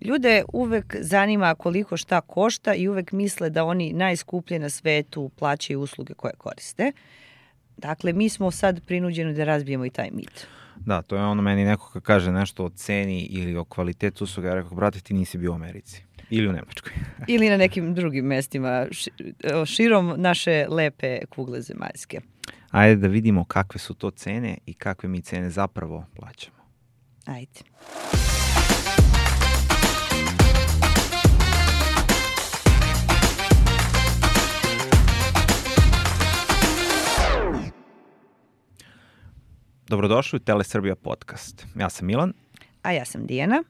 Ljude uvek zanima koliko šta košta i uvek misle da oni najskuplje na svetu plaćaju usluge koje koriste. Dakle, mi smo sad prinuđeni da razbijemo i taj mit. Da, to je ono meni neko kad kaže nešto o ceni ili o kvalitetu usluga, ja rekao, brate, ti nisi bio u Americi. Ili u Nemačkoj. Ili na nekim drugim mestima širom naše lepe kugle zemaljske. Ajde da vidimo kakve su to cene i kakve mi cene zapravo plaćamo. Ajde. Dobrodošli u Telesrbija podcast. Ja sam Milan. A ja sam Dijana.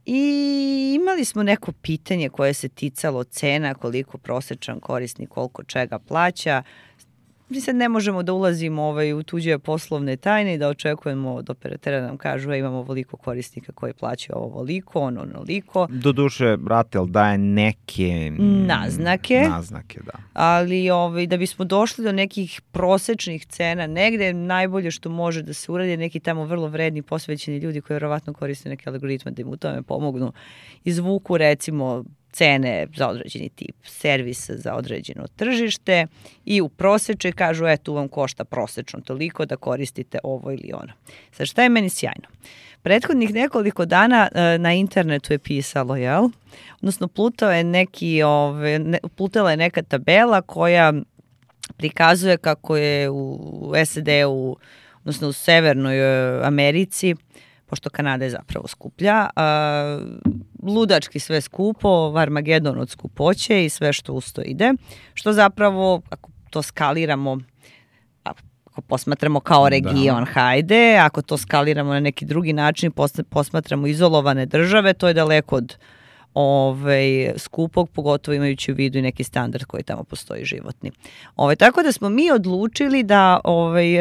I imali smo neko pitanje koje se ticalo cena, koliko prosječan korisnik, koliko čega plaća. Mi sad ne možemo da ulazimo u tuđe poslovne tajne i da očekujemo od operatera da nam kažu imamo ovoliko korisnika koji plaćaju ovoliko, onoliko. Doduše, Ratel daje neke naznake, da. Ali da bismo došli do nekih prosečnih cena, negde najbolje što može da se uradi neki tamo vrlo vredni posvećeni ljudi koji verovatno koriste neke algoritme da im u tome pomognu. Izvuku recimo cene za određeni tip servisa za određeno tržište i u proseče kažu tu vam košta prosečno toliko da koristite ovo ili ono. Sad šta je meni sjajno? Prethodnih nekoliko dana na internetu je pisalo, odnosno plutala je neka tabela koja prikazuje kako je u SAD-u, odnosno u Severnoj Americi, pošto Kanada je zapravo skuplja, ludački sve skupo, Armagedon od skupoće i sve što usto ide, što zapravo, ako to skaliramo, ako posmatramo kao region, hajde, ako to skaliramo na neki drugi način, posmatramo izolovane države, to je daleko od skupog, pogotovo imajući u vidu i neki standard koji tamo postoji životni. Tako da smo mi odlučili da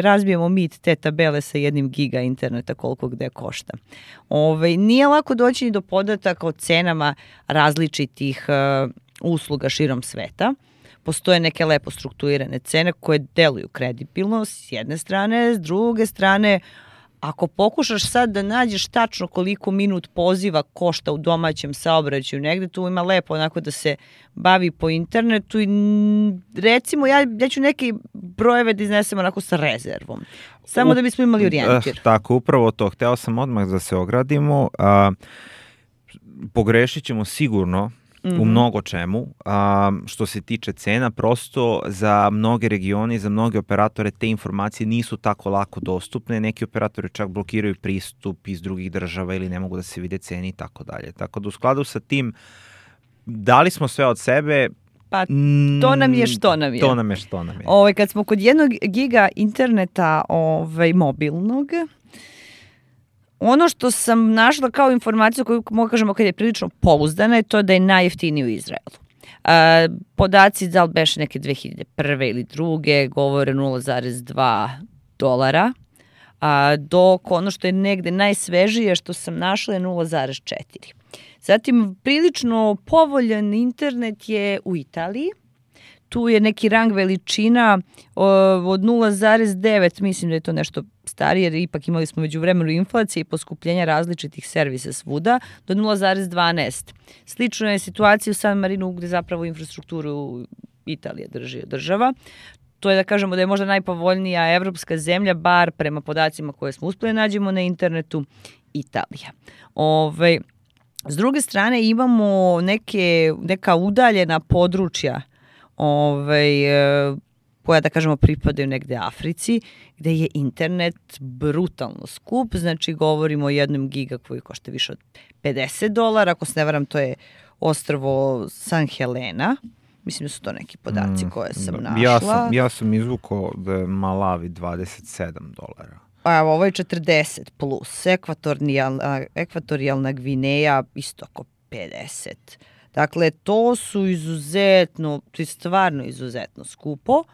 razbijemo mit te tabele sa 1 giga interneta koliko gde košta. Nije lako doći ni do podataka o cenama različitih usluga širom sveta. Postoje neke lepo strukturirane cene koje deluju kredibilno s jedne strane, s druge strane ako pokušaš sad da nađeš tačno koliko minut poziva košta u domaćem saobraćaju, negde tu ima lepo onako da se bavi po internetu i recimo ja ću neke brojeve da iznesem onako sa rezervom. Samo da bismo imali orijentir. Tako, upravo to. Hteo sam odmah da se ogradimo. Pogrešit ćemo sigurno u mnogo čemu. Što se tiče cena, prosto za mnoge regione i za mnoge operatore te informacije nisu tako lako dostupne. Neki operatori čak blokiraju pristup iz drugih država ili ne mogu da se vide cene i tako dalje. Tako da u skladu sa tim dali smo sve od sebe. Pa to nam je što nam je. To nam je što nam je. Kad smo kod 1 giga interneta mobilnog, ono što sam našla kao informaciju koju mogu kažemo kad je prilično pouzdana je to da je najjeftiniji u Izraelu. Podaci da li beše neke 2001. ili druge govore $0,2, dok ono što je negde najsvežije što sam našla je 0,4. Zatim prilično povoljan internet je u Italiji. Tu je neki rang veličina od 0,9, mislim da je to nešto starije, jer ipak imali smo među vremenu inflacije i poskupljenja različitih servisa svuda, do 0,12. Slično je situacija u San Marinu gde zapravo infrastrukturu Italija drži država. To je da kažemo da je možda najpovoljnija evropska zemlja, bar prema podacima koje smo uspeli nađemo na internetu, Italija. S druge strane imamo neka udaljena područja koja da kažemo pripadaju negde Africi, gde je internet brutalno skup, znači govorimo o 1 giga koji košta više od $50, ako se ne varam to je ostrvo San Helena, mislim da su to neki podaci koje sam našla. Ja sam izvukao da je Malawi $27. Ovo je 40 plus, ekvatorijalna Gvineja isto oko 50. Dakle, to su to je stvarno izuzetno skupo.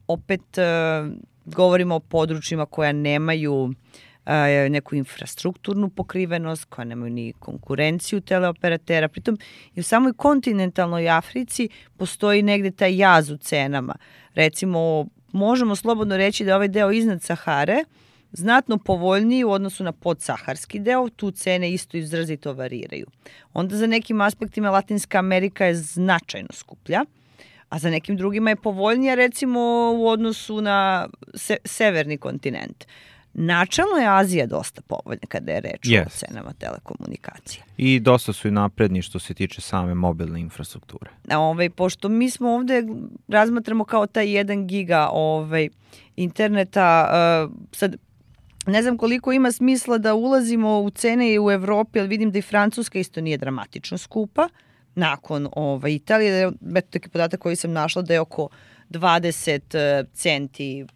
Opet govorimo o područjima koja nemaju neku infrastrukturnu pokrivenost, koja nemaju ni konkurenciju teleoperatera. Pritom i u samoj kontinentalnoj Africi postoji negde taj jaz u cenama. Recimo, možemo slobodno reći da ovaj deo iznad Sahare znatno povoljniji u odnosu na podsaharski deo, tu cene isto izrazito variraju. Onda za nekim aspektima Latinska Amerika je značajno skuplja, a za nekim drugima je povoljnija recimo u odnosu na severni kontinent. Načalno je Azija dosta povoljna kada je reč o cenama telekomunikacija. I dosta su i napredni što se tiče same mobilne infrastrukture. Pošto mi smo ovde razmatramo kao taj 1 giga interneta, sad ne znam koliko ima smisla da ulazimo u cene i u Evropi, ali vidim da i Francuska isto nije dramatično skupa. Nakon Italije, taki podatak koji sam našla da je oko 20 centi,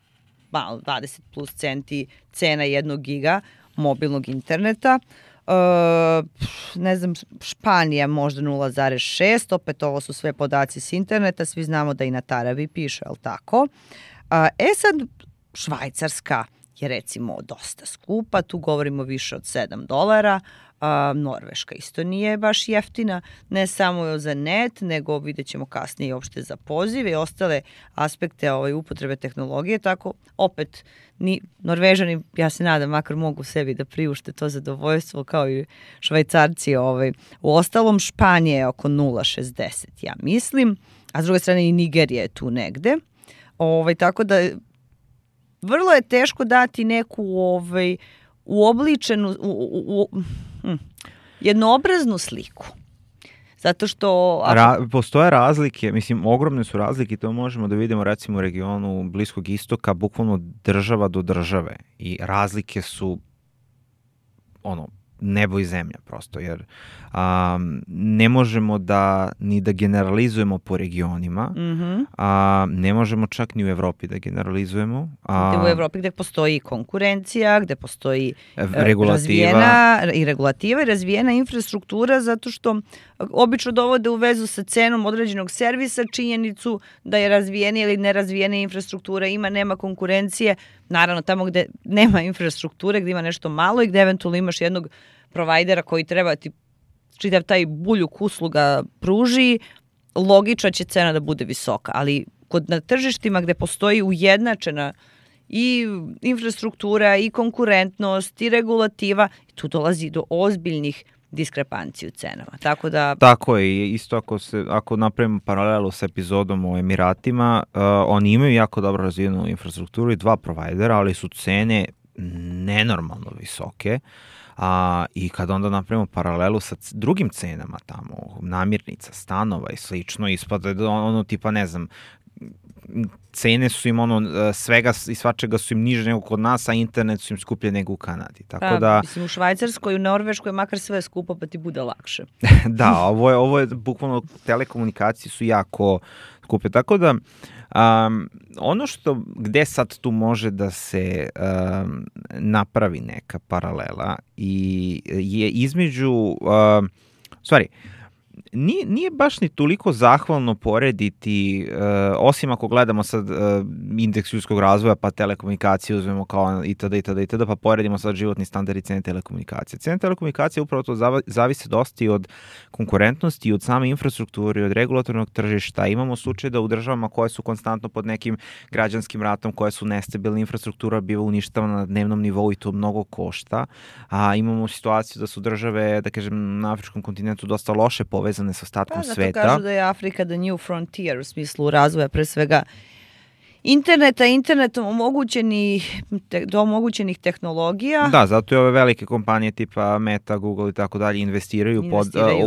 20 plus centi cena 1 giga mobilnog interneta. Ne znam, Španija možda 0,6, opet ovo su sve podaci s interneta, svi znamo da i na Tarabi piše, ali tako. Sad, Švajcarska je recimo dosta skupa, tu govorimo više od $7, Norveška isto nije baš jeftina, ne samo za net, nego vidjet ćemo kasnije uopšte za pozive i ostale aspekte upotrebe tehnologije, tako opet Norvežani, ja se nadam, makar mogu sebi da priušte to zadovoljstvo kao i Švajcarci. U ostalom Španija je oko 0,60, ja mislim, a s druge strane i Nigerija je tu negde. Tako da vrlo je teško dati neku uobličenu, jednoobraznu sliku. Zato što... Postoje razlike, mislim, ogromne su razlike, to možemo da vidimo recimo u regionu Bliskog istoka, bukvalno država do države. I razlike su nebo i zemlja prosto, jer ne možemo ni da generalizujemo po regionima, ne možemo čak ni u Evropi da generalizujemo. U Evropi gde postoji konkurencija, gde postoji regulativa i razvijena infrastruktura, zato što obično dovode u vezu sa cenom određenog servisa činjenicu da je razvijenija ili nerazvijena infrastruktura, nema konkurencije. Naravno, tamo gde nema infrastrukture, gde ima nešto malo i gde eventualno imaš jednog provajdera koji treba ti čitav taj buljuk usluga pruži, logično će cena da bude visoka. Ali na tržištima gde postoji ujednačena i infrastruktura, i konkurentnost, i regulativa, tu dolazi do ozbiljnih diskrepanciju cenama. Tako je, isto ako napravimo paralelu sa epizodom o Emiratima, oni imaju jako dobro razvijenu infrastrukturu i 2 provajdera, ali su cene nenormalno visoke. I kad onda napravimo paralelu sa drugim cenama tamo, namirnica, stanova i slično, ispada tipa, ne znam, cene su im svega i svačega su im niže nego kod nas, a internet su im skuplje nego u Kanadi. Tako da... Mislim, u Švajcarskoj, u Norveškoj makar sve skupo pa ti bude lakše. Da, ovo je bukvalno, telekomunikacije su jako skupe. Tako da, gde sad tu može da se napravi neka paralela je između, stvari, nije baš ni toliko zahvalno porediti, osim ako gledamo sad indeks ljudskog razvoja pa telekomunikacije uzmemo kao itd. Pa poredimo sad životni standard i cene telekomunikacije. Cene telekomunikacije upravo to zavise dosta i od konkurentnosti, i od same infrastrukture, i od regulatornog tržišta. Imamo slučaj da u državama koje su konstantno pod nekim građanskim ratom, koje su nestabilne, infrastruktura biva uništavana na dnevnom nivou i to mnogo košta. Imamo situaciju da su države, da kažem, na afričkom kontinentu dosta loše povezane sa ostatkom sveta. Zato kažu da je Afrika the new frontier u smislu razvoja pre svega internetom omogućenih tehnologija. Da, zato i ove velike kompanije tipa Meta, Google i tako dalje investiraju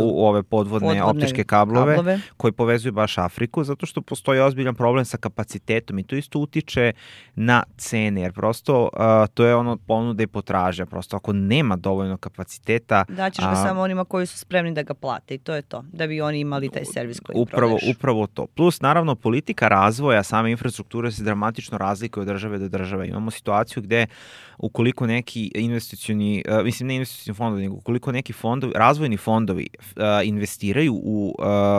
u ove podvodne optičke kablove koji povezuju baš Afriku, zato što postoji ozbiljan problem sa kapacitetom i to isto utiče na cene, jer prosto to je ponuda i potražnja. Prosto ako nema dovoljno kapaciteta... Daćeš ga samo onima koji su spremni da ga plate i to je to, da bi oni imali taj servis koji prodaješ. Upravo to. Plus, naravno, politika razvoja same infrastrukture se dramatično razlikuje od države do države. Imamo situaciju gde ukoliko neki investicioni, mislim ne investicioni fondovi, nego ukoliko neki razvojni fondovi investiraju u,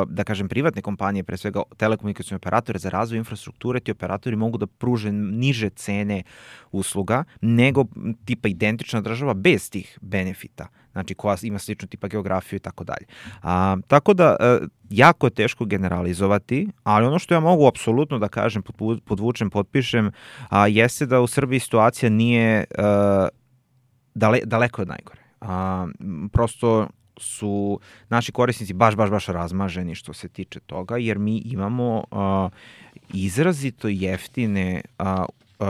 da kažem, privatne kompanije, pre svega telekomunikacione operatore za razvoj infrastrukture, ti operatori mogu da pruže niže cene usluga nego tipa identična država bez tih benefita. znači koja ima sličnu tipa geografiju i tako dalje. Tako da, jako je teško generalizovati, ali ono što ja mogu apsolutno da kažem, podvučem, potpišem, jeste da u Srbiji situacija nije daleko od najgore. Prosto su naši korisnici baš razmaženi što se tiče toga, jer mi imamo izrazito jeftine,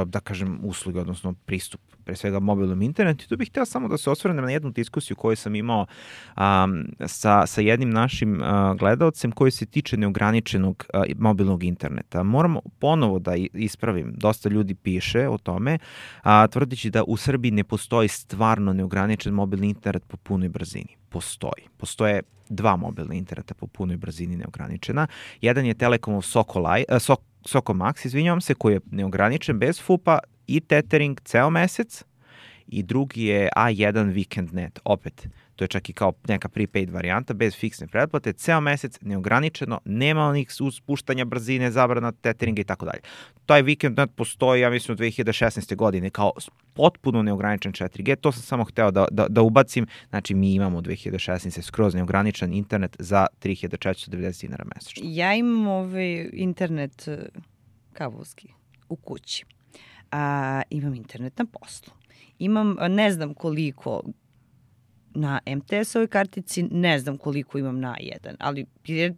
da kažem, usluge, odnosno pristup pre svega mobilnom internetu. I tu bih hteo samo da se osvrnem na jednu diskusiju koju sam imao sa jednim našim gledaocem koji se tiče neograničenog mobilnog interneta. Moram ponovo da ispravim, dosta ljudi piše o tome, tvrdeći da u Srbiji ne postoji stvarno neograničen mobilni internet po punoj brzini. Postoje dva mobilna interneta po punoj brzini neograničena. Jedan je Telekomov Soko Max, izvinjavam se, koji je neograničen bez FUP-a i tethering ceo mesec, i drugi je A1 Weekend Net, opet, to je čak i kao neka prepaid varijanta, bez fiksne pretplate, ceo mesec, neograničeno, nema onih spuštanja brzine, zabrana tetheringa i tako dalje. Taj Weekend Net postoji, ja mislim, od 2016. godine kao potpuno neograničen 4G, to sam samo hteo da ubacim, znači mi imamo 2016. skroz neograničen internet za 3490 dinara mesečno. Ja imam internet kablovski u kući. Imam internet na poslu. Imam, ne znam koliko na MTS-ovoj kartici, ne znam koliko imam na A1, ali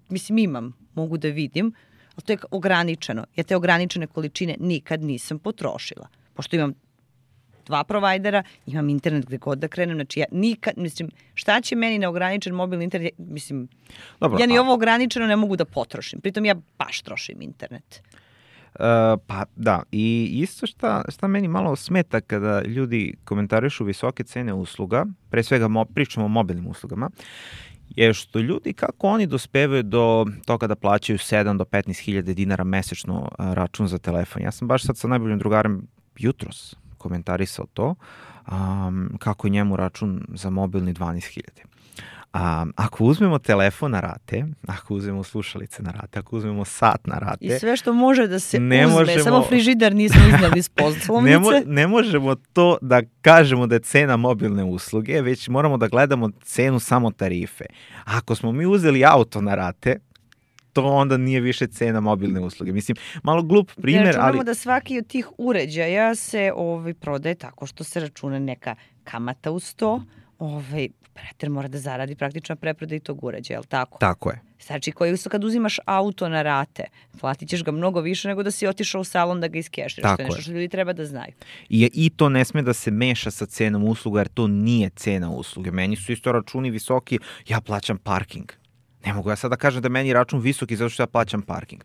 mislim imam, mogu da vidim, ali to je ograničeno. Ja te ograničene količine nikad nisam potrošila. Pošto imam dva provajdera, imam internet gde god da krenem, znači ja nikad, mislim, šta će meni neograničen mobilni internet, mislim, dobro, ja ni ovo ograničeno ne mogu da potrošim, pritom ja baš trošim internet. Pa da, i isto šta meni malo smeta kada ljudi komentarišu visoke cene usluga, pre svega pričamo o mobilnim uslugama, je što ljudi, kako oni dospevaju do toga da plaćaju 7 do 15.000 dinara mesečno račun za telefon. Ja sam baš sad sa najboljim drugarem jutros komentarisao to, kako je njemu račun za mobilni 12.000. Ako uzmemo telefon na rate, ako uzmemo slušalice na rate, ako uzmemo sat na rate... I sve što može da se uzme, samo frižider nismo iznali iz poslovnice. Ne možemo to da kažemo da je cena mobilne usluge, već moramo da gledamo cenu samo tarife. Ako smo mi uzeli auto na rate, to onda nije više cena mobilne usluge. Mislim, malo glup primjer, ali... Računamo da svaki od tih uređaja se prodaje tako što se računa neka kamata uz to, operator mora da zaradi praktično preprodaj tog uređaja, je li tako? Tako je. Znači, kad uzimaš auto na rate, platit ćeš ga mnogo više nego da si otišao u salon da ga iskeširaš. To je nešto što ljudi treba da znaju. I to ne sme da se meša sa cenom usluga, jer to nije cena usluge. Meni su isto računi visoki, ja plaćam parking. Ne mogu ja sad da kažem da meni račun visoki zato što ja plaćam parking.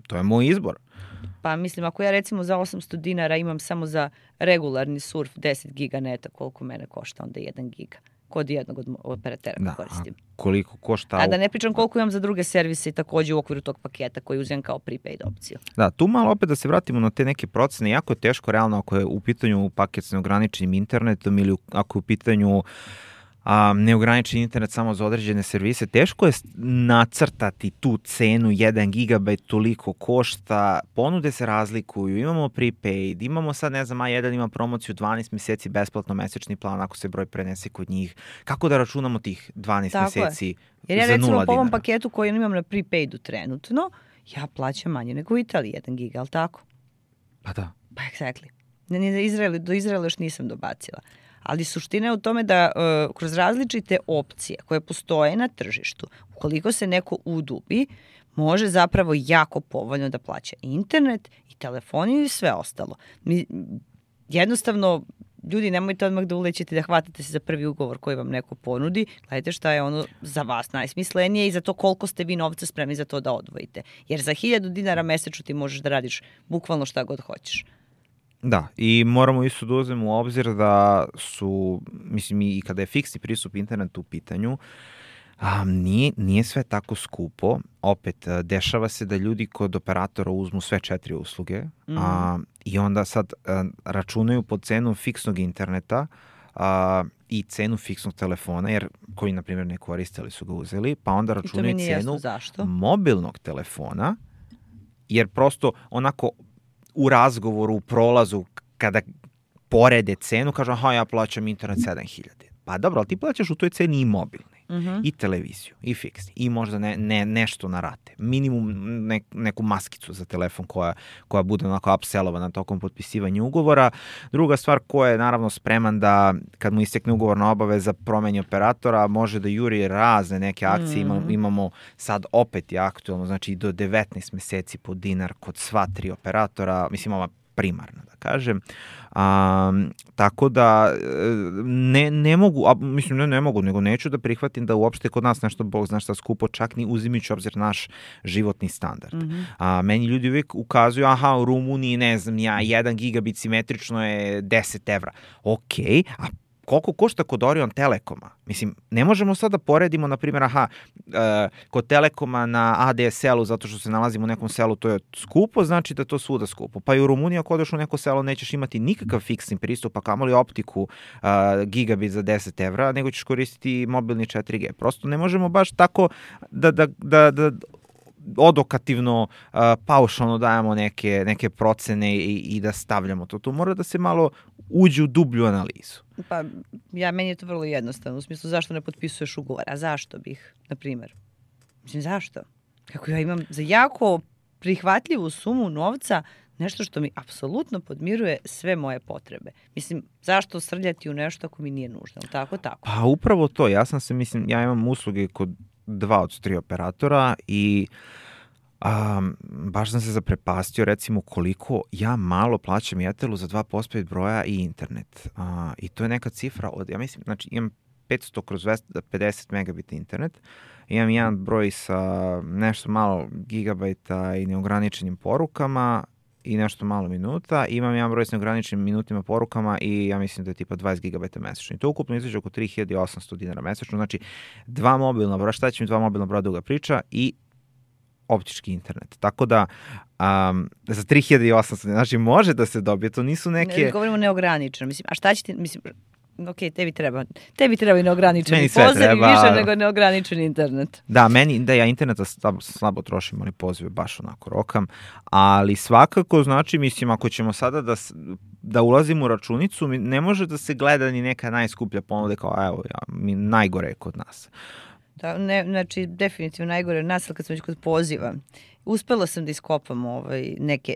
To je moj izbor. Pa mislim, ako ja recimo za 800 dinara imam samo za regularni surf 10 giga neta, koliko mene košta onda 1 giga kod jednog od operatera koristim. Koliko košta... A da ne pričam koliko imam za druge servise i takođe u okviru tog paketa koji uzem kao prepaid opciju. Da, tu malo opet da se vratimo na te neke procene. Jako je teško realno ako je u pitanju paket s neograničenim internetom ili ako je u pitanju neograničen internet samo za određene servise, teško je nacrtati tu cenu, 1 gigabajt toliko košta, ponude se razlikuju, imamo prepaid, imamo sad, ne znam, A1 ima promociju 12 meseci besplatno mesečni plan ako se broj prenese kod njih. Kako da računamo tih 12 tako meseci za 0 dinara? Jer ja recimo po ovom paketu koji imam na prepaidu trenutno, ja plaćam manje nego u Italiji 1 giga, ali tako? Pa da. Pa exactly. Do Izraela još nisam dobacila. Ali suština je u tome da kroz različite opcije koje postoje na tržištu, ukoliko se neko udubi, može zapravo jako povoljno da plaća internet i telefoniju i sve ostalo. Jednostavno, ljudi, nemojte odmah da ulećete da hvatate se za prvi ugovor koji vam neko ponudi. Gledajte šta je ono za vas najsmislenije i za to koliko ste vi novca spremni za to da odvojite. Jer za 1000 dinara mesečno ti možeš da radiš bukvalno šta god hoćeš. Da, i moramo isto da uzmemo u obzir da su, mislim, i kada je fiksni pristup internetu u pitanju, nije sve tako skupo. Opet, dešava se da ljudi kod operatora uzmu sve 4 usluge i onda sad računaju po cenu fiksnog interneta i cenu fiksnog telefona, jer koji, na primjer, ne koriste, ali su ga uzeli, pa onda računaju cenu mobilnog telefona, jer prosto onako u razgovoru, u prolazu, kada porede cenu, kažu, aha, ja plaćam internet 7.000. Pa dobro, ali ti plaćaš u toj ceni i mobilni, i televiziju, i fiksni, i možda nešto na rate. Minimum neku maskicu za telefon koja bude onako upsellovana tokom potpisivanja ugovora. Druga stvar, ko je naravno spreman da, kad mu istekne ugovorna obaveza, promeni operatora, može da juri razne neke akcije. Imamo sad opet je aktualno, znači do 19 meseci po dinar kod sva 3 operatora, mislim ova primarna, da kažem. Tako da ne mogu, mislim ne mogu, nego neću da prihvatim da uopšte kod nas nešto, Bog zna šta, skupo, čak ni uzimajući obzir naš životni standard. Meni ljudi uvijek ukazuju, aha, u Rumuniji, ne znam, 1 gigabit simetrično je 10 evra. Okej, a koliko košta kod Orion Telekoma? Mislim, ne možemo sad da poredimo, na primjer, kod Telekoma na ADSL-u, zato što se nalazimo u nekom selu, to je skupo, znači da to svuda skupo. Pa i u Rumuniji, ako odeš u neko selo, nećeš imati nikakav fiksni pristup, a kamoli optiku gigabit za 10 evra, nego ćeš koristiti mobilni 4G. Prosto ne možemo baš tako da odokativno, paušalno dajemo neke procene i da stavljamo to. Tu mora da se malo uđe u dublju analizu. Pa, meni je to vrlo jednostavno. U smislu, zašto ne potpisuješ ugovor? A zašto bih, na primjer? Mislim, zašto? Kako ja imam za jako prihvatljivu sumu novca nešto što mi apsolutno podmiruje sve moje potrebe. Mislim, zašto srljati u nešto ako mi nije nužno? Tako? Pa upravo to. Ja imam usluge kod 2 od 3 operatora i baš sam se zaprepastio, recimo, koliko ja malo plaćam Jetelu za 2 postpaid broja i internet. I to je neka cifra od, ja mislim, znači imam 500/250 megabita internet, imam jedan broj sa nešto malo gigabajta i neograničenim porukama i nešto malo minuta, imam jedan broj s neograničenim minutima, porukama i ja mislim da je tipa 20 gigabajta mesečno. I to ukupno izađe oko 3.800 dinara mesečno, znači 2 mobilna broja, šta će mi 2 mobilna broja duga priča i optički internet. Tako da za 3.800, znači može da se dobije, to nisu neke... Ne govorimo neograničeno, mislim, a šta će ti, mislim, ok, tebi treba i neograničeni poziv i više nego neograničeni internet. Da, ja interneta slabo trošim, ali pozive baš onako rokam, ali svakako, znači, mislim, ako ćemo sada da ulazimo u računicu, ne može da se gleda ni neka najskuplja ponuda kao, evo, najgore je kod nas. Da, znači, definitivno najgore od nas, ali kad sam već kod poziva, uspela sam da iskopam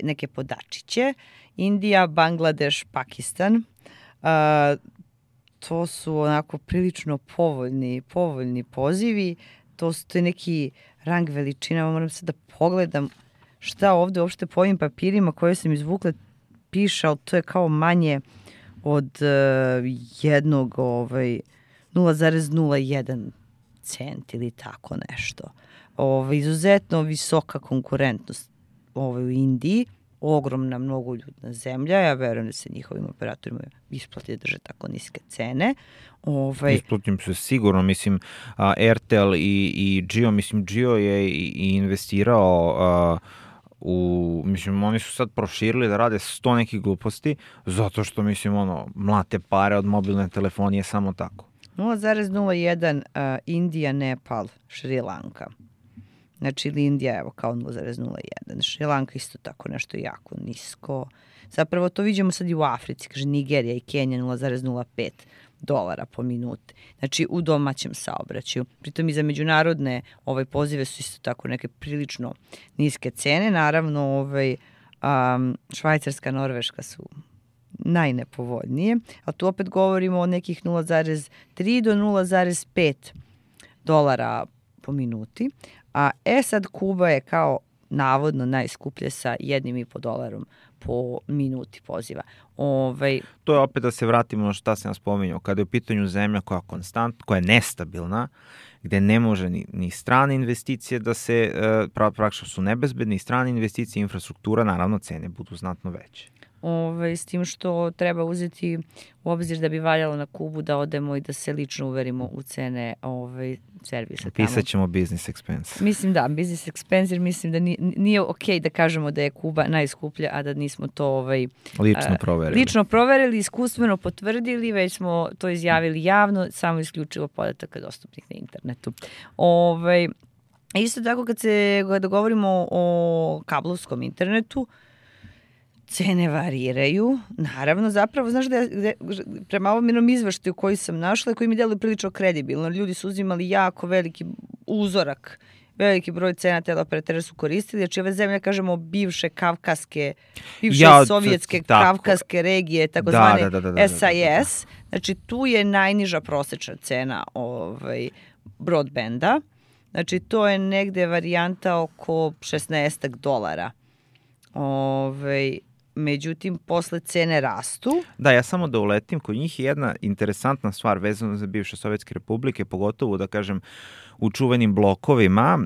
neke podačiće. Indija, Bangladeš, Pakistan, to su onako prilično povoljni pozivi, to je neki rang veličina, moram sad da pogledam šta ovde uopšte po ovim papirima koje sam izvukla piše, ali to je kao manje od 0,01 cent ili tako nešto. Izuzetno visoka konkurentnost u Indiji, ogromna, mnogoljudna zemlja. Ja verujem da se njihovim operatorima isplati da drže tako niske cene. Isplatim se sigurno, mislim, Airtel i Jio, mislim, Jio je i investirao mislim, oni su sad proširili da rade 100 nekih gluposti, zato što, mislim, mlate pare od mobilne telefonije samo tako. 0,01 Indija, Nepal, Šri Lanka. Znači, ili Indija, evo, kao 0,01. Šri Lanka isto tako nešto jako nisko. Zapravo to vidimo sad i u Africi, kaže Nigerija i Kenija 0,05 dolara po minuti. Znači, u domaćem saobraćaju. Pritom i za međunarodne pozive su isto tako neke prilično niske cene. Naravno, Švajcarska, Norveška su najnepovoljnije, a tu opet govorimo o nekih 0,3 do 0,5 dolara po minuti, a sad Kuba je kao navodno najskuplje sa $1,5 po minuti poziva. To je opet da se vratimo na šta sam spominjao, kada je u pitanju zemlja koja je nestabilna, gde ne može ni strane investicije da se, praktično su nebezbedne, i strane investicije, infrastruktura, naravno cene budu znatno veće. S tim što treba uzeti u obzir da bi valjalo na Kubu da odemo i da se lično uverimo u cene servisa tamo. Pisat ćemo business expense. Mislim da, business expense, jer mislim da nije okej da kažemo da je Kuba najskuplja, a da nismo to lično proverili, iskustveno potvrdili, već smo to izjavili javno, samo isključivo podataka dostupnih na internetu. Isto tako kada govorimo o kablovskom internetu, cene variraju. Naravno, zapravo, znaš prema ovom izveštaju koji sam našla, koji mi deluje prilično kredibilno, ljudi su uzimali jako veliki uzorak, veliki broj cena teleoperatera su koristili, znači ove zemlje, kažemo, bivše sovjetske kavkaske regije, takozvane SIS, znači tu je najniža prosečna cena broadbanda, znači to je negde varijanta oko $16. Međutim, posle cene rastu. Da, ja samo da uletim, kod njih je jedna interesantna stvar vezana za bivše Sovjetske republike, pogotovo da kažem u čuvenim blokovima,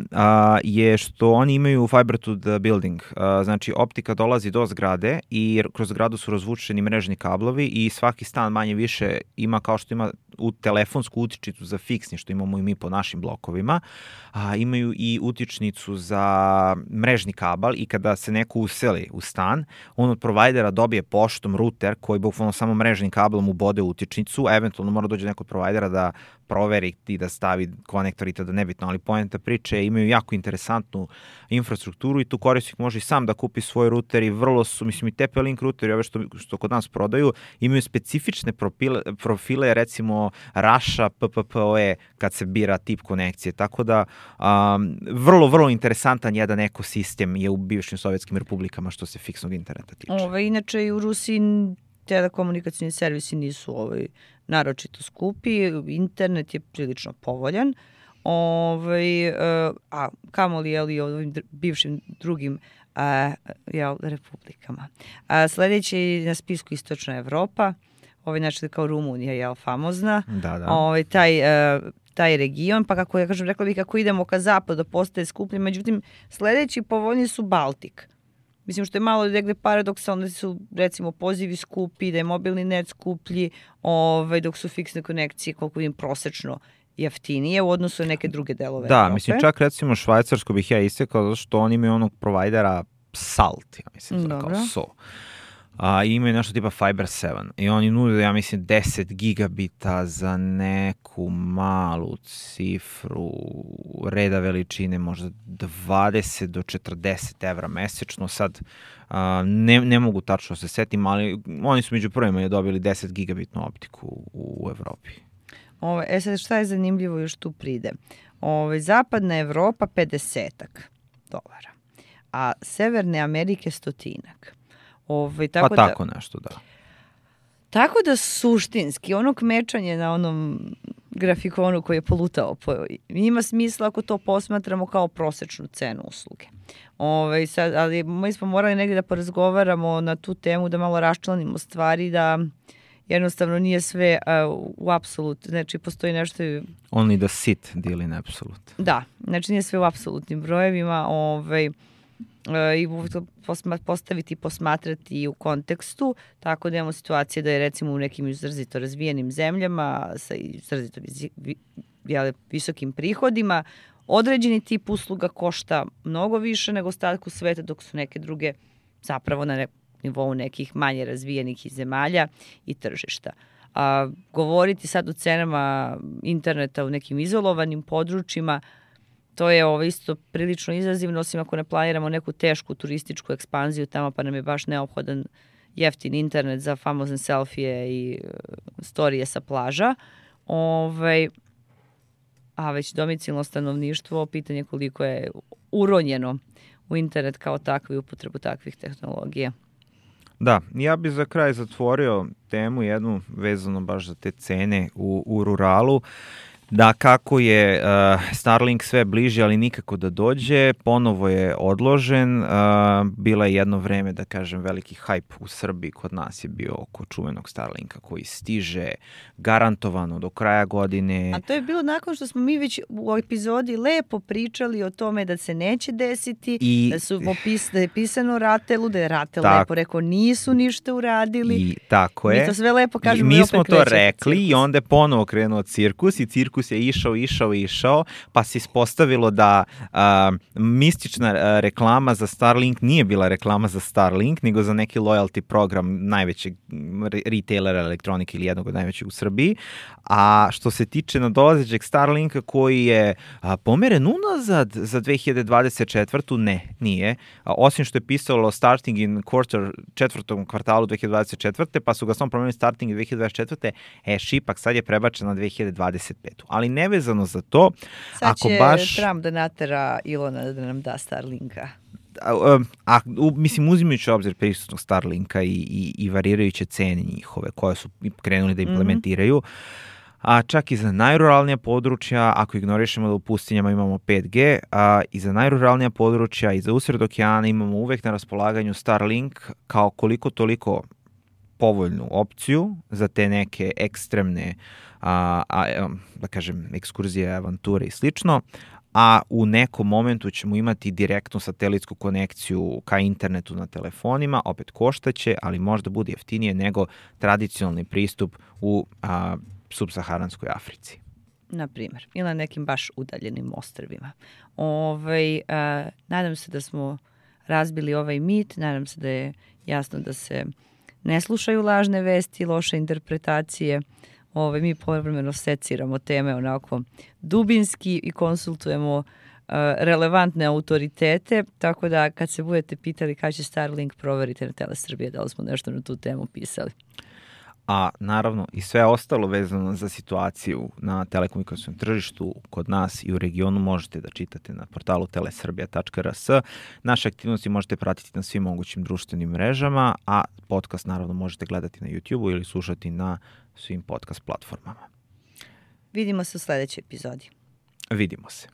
je što oni imaju fiber to the building. Znači, optika dolazi do zgrade i kroz zgradu su razvučeni mrežni kablovi i svaki stan manje više ima, kao što ima u telefonsku utičnicu za fiksni, što imamo i mi po našim blokovima, imaju i utičnicu za mrežni kabel i kada se neko useli u stan, on od provajdera dobije poštom ruter koji bukvalno samo mrežnim kablom ubode utičnicu, eventualno mora dođe neko od provajdera da proveri i da stavi konektor i tada nebitno, ali poenta priče imaju jako interesantnu infrastrukturu i tu korisnik može i sam da kupi svoj ruter i vrlo su, mislim i TP-Link ruteri, ove što kod nas prodaju, imaju specifične profile, recimo Raša, PPPoE kad se bira tip konekcije, tako da vrlo, vrlo interesantan jedan ekosistem je u bivšim sovjetskim republikama što se fiksnog interneta tiče. Inače i u Rusiji telekomunikacijni servisi nisu naročito skupi, internet je prilično povoljan, a kamoli i ovim bivšim drugim republikama. Sledeći na spisku Istočna Evropa, znači kao Rumunija je famozna, taj region, pa kako ja kažem, rekla bih kako idemo ka zapadu postaje skuplji, međutim sledeći povoljni su Baltik. Mislim što je malo negde paradoksalno da su recimo pozivi skupi, da je mobilni net skuplji, dok su fiksne konekcije koliko vidim prosečno jeftinije u odnosu na neke druge delove Evrope. Da, mislim čak recimo Švajcarsko bih ja istekao zato što oni imaju onog provajdera Salt, ja mislim kao SO. Imaju nešto tipa Fiber 7 i oni nude, ja mislim, 10 gigabita za neku malu cifru reda veličine, možda 20 do 40 evra mesečno. Sad ne mogu tačno se setim, ali oni su među prvima je dobili 10 gigabitnu optiku u Evropi. Sad šta je zanimljivo još tu pride? Zapadna Evropa $50, a Severne Amerike 100. Tako nešto, da. Tako da suštinski, ono kmečanje na onom grafikonu koji je polutao, ima smisla ako to posmatramo kao prosečnu cenu usluge. Ali mi smo morali negdje da porazgovaramo na tu temu, da malo raščlanimo stvari, da jednostavno nije sve u apsolut, znači postoji nešto... Only the sit deal in absolute. Da, znači nije sve u apsolutnim brojevima, i postaviti i posmatrati u kontekstu, tako da imamo situacije da je recimo u nekim izrazito razvijenim zemljama sa izrazito visokim prihodima određeni tip usluga košta mnogo više nego ostatku sveta, dok su neke druge zapravo na nivou nekih manje razvijenih zemalja i tržišta. Govoriti sad o cenama interneta u nekim izolovanim područjima, to je isto prilično izazivno, osim ako ne planiramo neku tešku turističku ekspanziju tamo, pa nam je baš neophodan jeftin internet za famozne selfije i storije sa plaža. A već domicilno stanovništvo, pitanje koliko je uronjeno u internet kao takvu i upotrebu takvih tehnologija. Da, ja bih za kraj zatvorio temu jednu vezano baš za te cene u ruralu. Da, kako je Starlink sve bliže, ali nikako da dođe, ponovo je odložen. Bila je jedno vreme, da kažem, veliki hype u Srbiji, kod nas je bio oko čuvenog Starlinka koji stiže garantovano do kraja godine. A to je bilo nakon što smo mi već u epizodi lepo pričali o tome da se neće desiti, da je pisano Ratelu, da je Ratel lepo rekao nisu ništa uradili. I tako je. Mi to sve lepo kažemo. Mi smo to rekli i onda je ponovo krenuo cirkus i cirkus ciklus je išao, pa se ispostavilo da mistična reklama za Starlink nije bila reklama za Starlink, nego za neki loyalty program najvećeg retailera elektronike ili jednog od najvećeg u Srbiji. A što se tiče nadolazećeg Starlinka koji je pomeren unazad za 2024. Nije. Osim što je pisalo starting in četvrtom kvartalu 2024. pa su ga samo promenili starting in 2024. Šipak sad je prebačen na 2025. Ali nevezano za to, sad će Trump da natera Ilona da nam da Starlinka. Mislim, uzimajući obzir prisutnog Starlinka i varirajuće cene njihove koje su krenuli da implementiraju, a čak i za najruralnija područja, ako ignorišemo da u pustinjama imamo 5G, i za najruralnija područja i za usred okeana imamo uvek na raspolaganju Starlink kao koliko toliko povoljnu opciju za te neke ekstremne, da kažem, ekskurzije, avanture i slično, a u nekom momentu ćemo imati direktnu satelitsku konekciju ka internetu na telefonima, opet koštaće, ali možda bude jeftinije nego tradicionalni pristup u subsaharanskoj Africi. Na primjer, ili na nekim baš udaljenim ostrvima. Nadam se da smo razbili ovaj mit, nadam se da je jasno da se ne slušaju lažne vesti, loše interpretacije. Mi povremeno seciramo teme onako dubinski i konsultujemo relevantne autoritete, tako da kad se budete pitali kada će Starlink, proverite na Telesrbije da li smo nešto na tu temu pisali. A naravno i sve ostalo vezano za situaciju na telekomunikacijskom tržištu kod nas i u regionu možete da čitate na portalu telesrbija.rs. Naše aktivnosti možete pratiti na svim mogućim društvenim mrežama, a podcast naravno možete gledati na YouTube-u ili slušati na svim podcast platformama. Vidimo se u sledećoj epizodi. Vidimo se.